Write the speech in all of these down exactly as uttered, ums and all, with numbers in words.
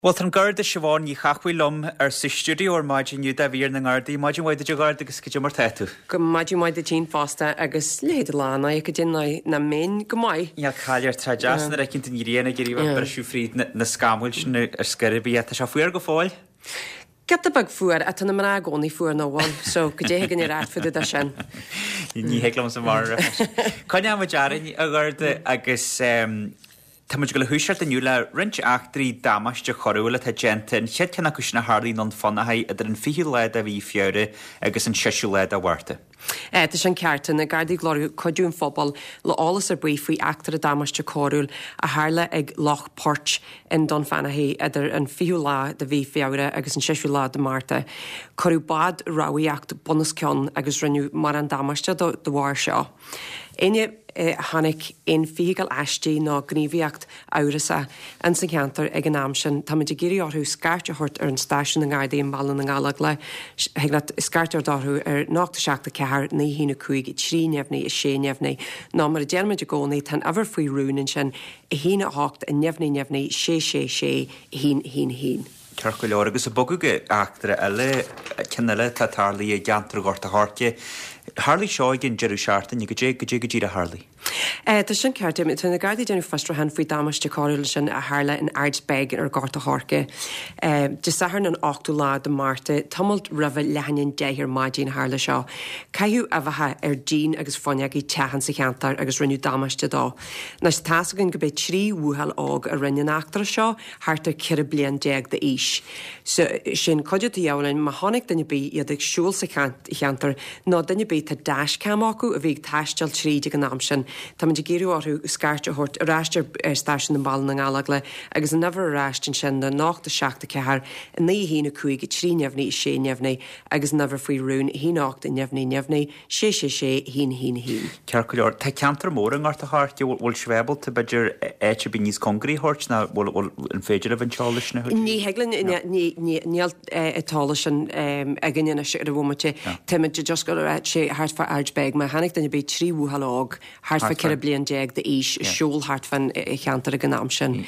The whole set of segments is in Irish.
Bhuel, tá an Garda Siobhán Ní Chathmhaoil liom ar sa stiúideo ar maidin inniu do mhír na nGardaí. Maidin mhaith duit a Gharda agus cad é mar tá tú? Go maidin mhaith duit féin fosta agus leithéid de lá ná go dtí ná mbeinn go maith. Níl caill air tá deas nuair a fheiceann tú an ghrian ag iarraidh bheith briseadh fríd na scamaill sin ar scor ar bith. Tá sé fuar go fóill? Giota beag fuar ach tá na mná i gcónaí fuar nó bhfuil, so go dté chuig an ar fud de sin. Ní thig liomsa mar. Coinneoidh muid orainn a Gharda agus Tá muid ag dul a thoiseacht inniu le roinnt eachtraí damáiste choiriúil atá déanta, an chéad cheann acu sin a tharlaigh i nDún Fionnachaidh idir an fichiú lá de mhí Feabhra agus an seisiú lá de Mhárta. Tá sin ceart. Tá na Gardaí ag lorg cuidiú an phobail le eolas ar bith faoi eachtra damáiste coiriúil a tharla ag Loch Poirt i nDún Fionnachaidh idir an fichiú lá de mhí Feabhra agus an seisiú lá de Márta. Cuireadh bád rámhaíocht bunoscionn agus rinneadh mórán damáiste dó de bharr seo. Éinne a chonaic aon feithicil aisti nó gníomhaíocht amhrasach ins an cheantar ag an am sin, táimid ag iarraidh orthu scairt a thabhairt ar an stáisiún na nGardaí i mBaile na nGallóglach. Thig leat scairt a thabhairt orthu ar ocht a seacht a ceathair naoi haon a cúig trí neamhní a sé neamhní nó mar a deirimid i gcónaí tá an uimhir faoi rún ansin, a haon a hocht neamhní neamhní sé sé sé a haon a haon a haon. Ceart go leor, agus ag bogadh go eachtra eile, ceann eile atá tarlaithe i gceantar Ghort a' Choirce. Tharlaigh seo ag an deireadh seachtaine, goidé, goidé go díreach a tharlaigh? Tá sin ceart. Tá na Gardaí ag déanamh fiosrúchán faoi damáiste coiriúil ansin a tharla in Ard Bheag ar Ghort a' Choirce. Dé Sathairn an ochtú lá de Márta, tamalt roimhe leath i ndiaidh a deich ar maidin a tharla seo. Caitheadh uibheacha ar díon agus fuinneogaí teach insa cheantar agus rinneadh damáiste dó. Anois tá's againn go b'é trí bhuachaill óg a rinne an eachtra seo, thart ar ceithre bliain déag d'aois. So, sin cuidiú atá de dhíobháil orainn, má chonaic duine ar bith iad ag siúl sa cheantar, nó duine ar bith tá dashcam acu a bhí ag taisteal tríd ag an am sin, táimid ag iarraidh orthu scairt a thabhairt ar ais ar stáisiún i mBaile na nGallóglach agus an uimhir ar ais ansin ná ocht a seacht a ceathair, naoi a haon a cúig, trí neamhní, sé neamhní agus an uimhir faoi rún, a haon ocht, neamhní, neamhní, sé sé sé, a haon a haon a haon. Ceart go leor. Tá ceantar mór i nGort a' Choirce, bhfuil sibh ábalta b'fhéidir áit ar bith níos cóngaraí a thabhairt nó bhfuil bhfuil an féidir libh an t-eolas sin a thabhairt? Ní thig linn, níl an t-eolas sin againn anois ar an bhomaite. Táimid just ag rá sé thart fá Ard Bheag, má chonaic duine ar bith trí bhuachaill óg thart fá ceithre bliain déag d'aois ag siúl thart fán cheantar ag an am sin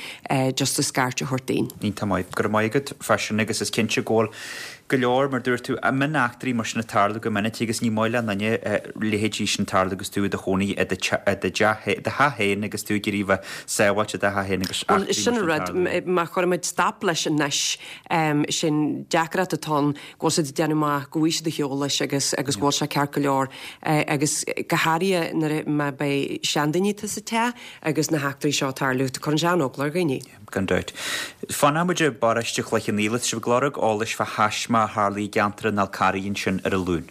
just a scairt a thabhairt dínn. Iontach maith. Go raibh maith agat fá sin agus is cinnte go bhfuil go leor, mar dúirt tú, mion-eachtraí mar sin ag tarlú go minic agus ní maith le aon duine leithéidí sin tarlú agus tú i do chónaí i do theach féin agus tú ag iarraidh bheith sábháilte i do theach féin agus eachtraí mar sin ag tarlú. Bhuel, sin an rud, má chuirimid stop leis anois, sin deacracht atá ann, go bhfuil siad ag déanamh amach go bhfaighidh siad ar shiúl leis agus agus go bhfuil sé ceart go leor agus go háirithe nuair a má beidh seandaoine atá sa teach agus na heachtraí seo ag tarlú, cuireann sé an-eagla ar dhaoine. Gan dabht. Fanfaidh muid i bparóiste Chloich Cheann Fhaola. Tá sibh ag lorg eolais fá thaisme a tharlaigh i gceantar an Fhál Carraigh ansin ar an Luan.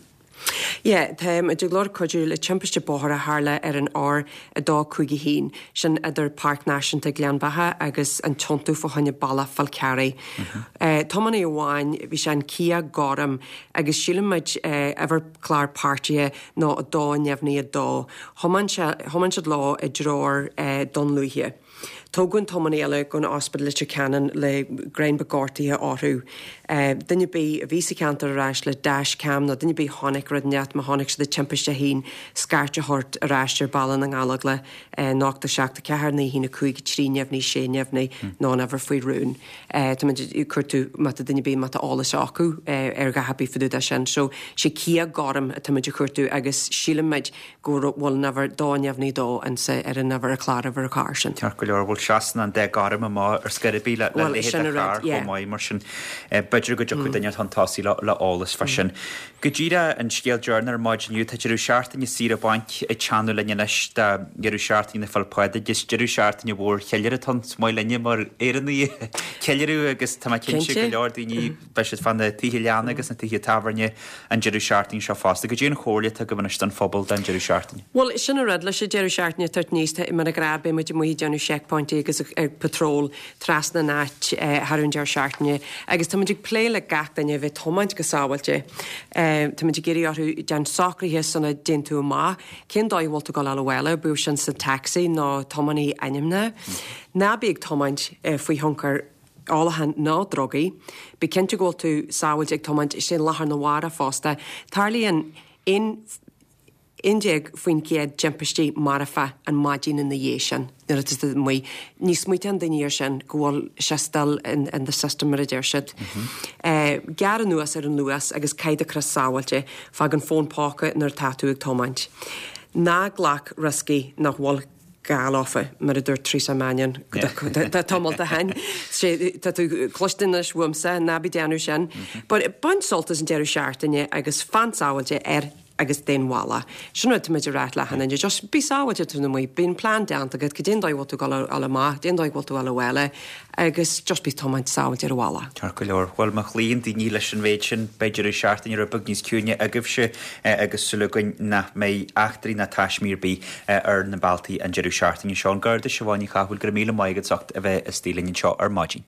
Yeah, tá muid ag lorg cuidiú le timpiste bóthair a tharla ar an R a dó cúig a haon, sin idir Páirc Náisiúnta Ghleann Bheatha agus an tiontú fá choinne Bealach Fál Carraigh. Tiománaí amháin, bhí sé in Kia gorm agus sílim muid uimhir clár páirtithe nó a dó neamhní a dó. Thiomáin sé, thiomáin siad leo i dtreoir Dún Lúiche. Tógadh an tiománaí eile gon Ospidéal Leitir Ceanainn le greim beag gortaithe orthu. Duine ar bith a bhí sa cheantar ar ais le dash cam nó duine ar bith a chonaic rud inteacht má chonaic siad an timpiste féin scairt a thabhairt ar ais ar Baile na nGallóglach ocht a seacht a ceathair naoi haon a cúig trí neamhní sé neamhní nó an uimhir faoi rún. Táimid ag cuartú má tá duine ar bith má tá eolas acu ar a dhath ar bith fá dtaobh de sin. So sé Kia gorm atáimid a chuartú agus sílimid go bhfuil an uimhir dó neamhní dó insa ar an uimhir ar chlár uimhir an chairr sin. Ceart go leor, bhuel seasann an dath gorm amach ar scor ar bith le Bhuel, leithéid sin de an rud, charr yeah. chomh maith, mar sin b'fhéidir go dtiocfadh duine chun tosaigh le le eolas fá sin. Go díreach an scéal deireanach ar maidin inniu, tá deireadh seachtaine saoire bainc ag teannadh linn anois do dheireadh seachtaine na Féile Pádraig. Is deireadh seachtaine mhór cheiliúradh atá ann, is maith linne mar Éireannaigh ceiliúradh agus tá mé cinnte go Cinnte. leor daoine beidh siad fá na tithe leanna agus na tithe tábhairne an deireadh seachtaine seo fosta. Goidé an chomhairle atá agaibh anois don phobal don deireadh seachtaine? Bhuel, sin an rud leis an deireadh seachtaine ag tabhairt aníos, tá, mar a ghnáth, beidh muid amuigh ag déanamh checkpointí agus ag patrol trasna an áit thar an deireadh seachtaine agus tá muid ag plé le gach duine a bheith ag tiomáint go sábháilte. Tá muid ag iarraidh orthu déan socruithe sula dtéann tú amach, cén dóigh a bhfuil tú ag dul abhaile, bíodh sin sa taxi nó tiománaí ainmnithe. Ná bí ag tiomáint faoi thionchar ólacháin ná drugaí. Bí cinnte go bhfuil tú sábháilte ag tiomáint sé lá arna mhárach fosta. Tarlaíonn aon Aon déag faoin gcéad timpistí marfa an maidin ina dhiaidh sin nuair atá tú amuigh. Ní smaoitíonn daoine air sin go bhfuil sé still in, in the system mar a deir siad. Gearr anuas ar an luas agus caith do chrios sábháilte, fág an fón póca nuair atá tú ag tiomáint. Ná glac rioscaí nach bhfuil gá leofa, mar a dúirt Teresa Mannion tamall ó shin. Tá tú cloiste anois uaimse, ná bí ag déanamh sin. But bain sult as an deireadh seachtaine agus fan sábháilte ar agus den bhaile. Sin rud táimid ag rá le achan duine, just bí sábháilte tú amuigh, bíonn plean déanta agat, cad é an dóigh bhfuil tú ag dul amach, cad é an dóigh bhfuil tú ag dul abhaile, agus just bí ag tiomáint sábháilte ar an bhaile. Ceart go leor. Bhuel, má chloíonn daoine leis an mhéid sin, beidh deireadh seachtaine rud beag níos ciúine agaibhse agus súil againn nach mbeidh eachtraí ná taismí ar bith ar na bealtaí an deireadh seachtaine seo. An Garda Siobhán Ní Chathmhaoil, go raibh míle maith agat as ucht a bheith istigh linn anseo ar maidin.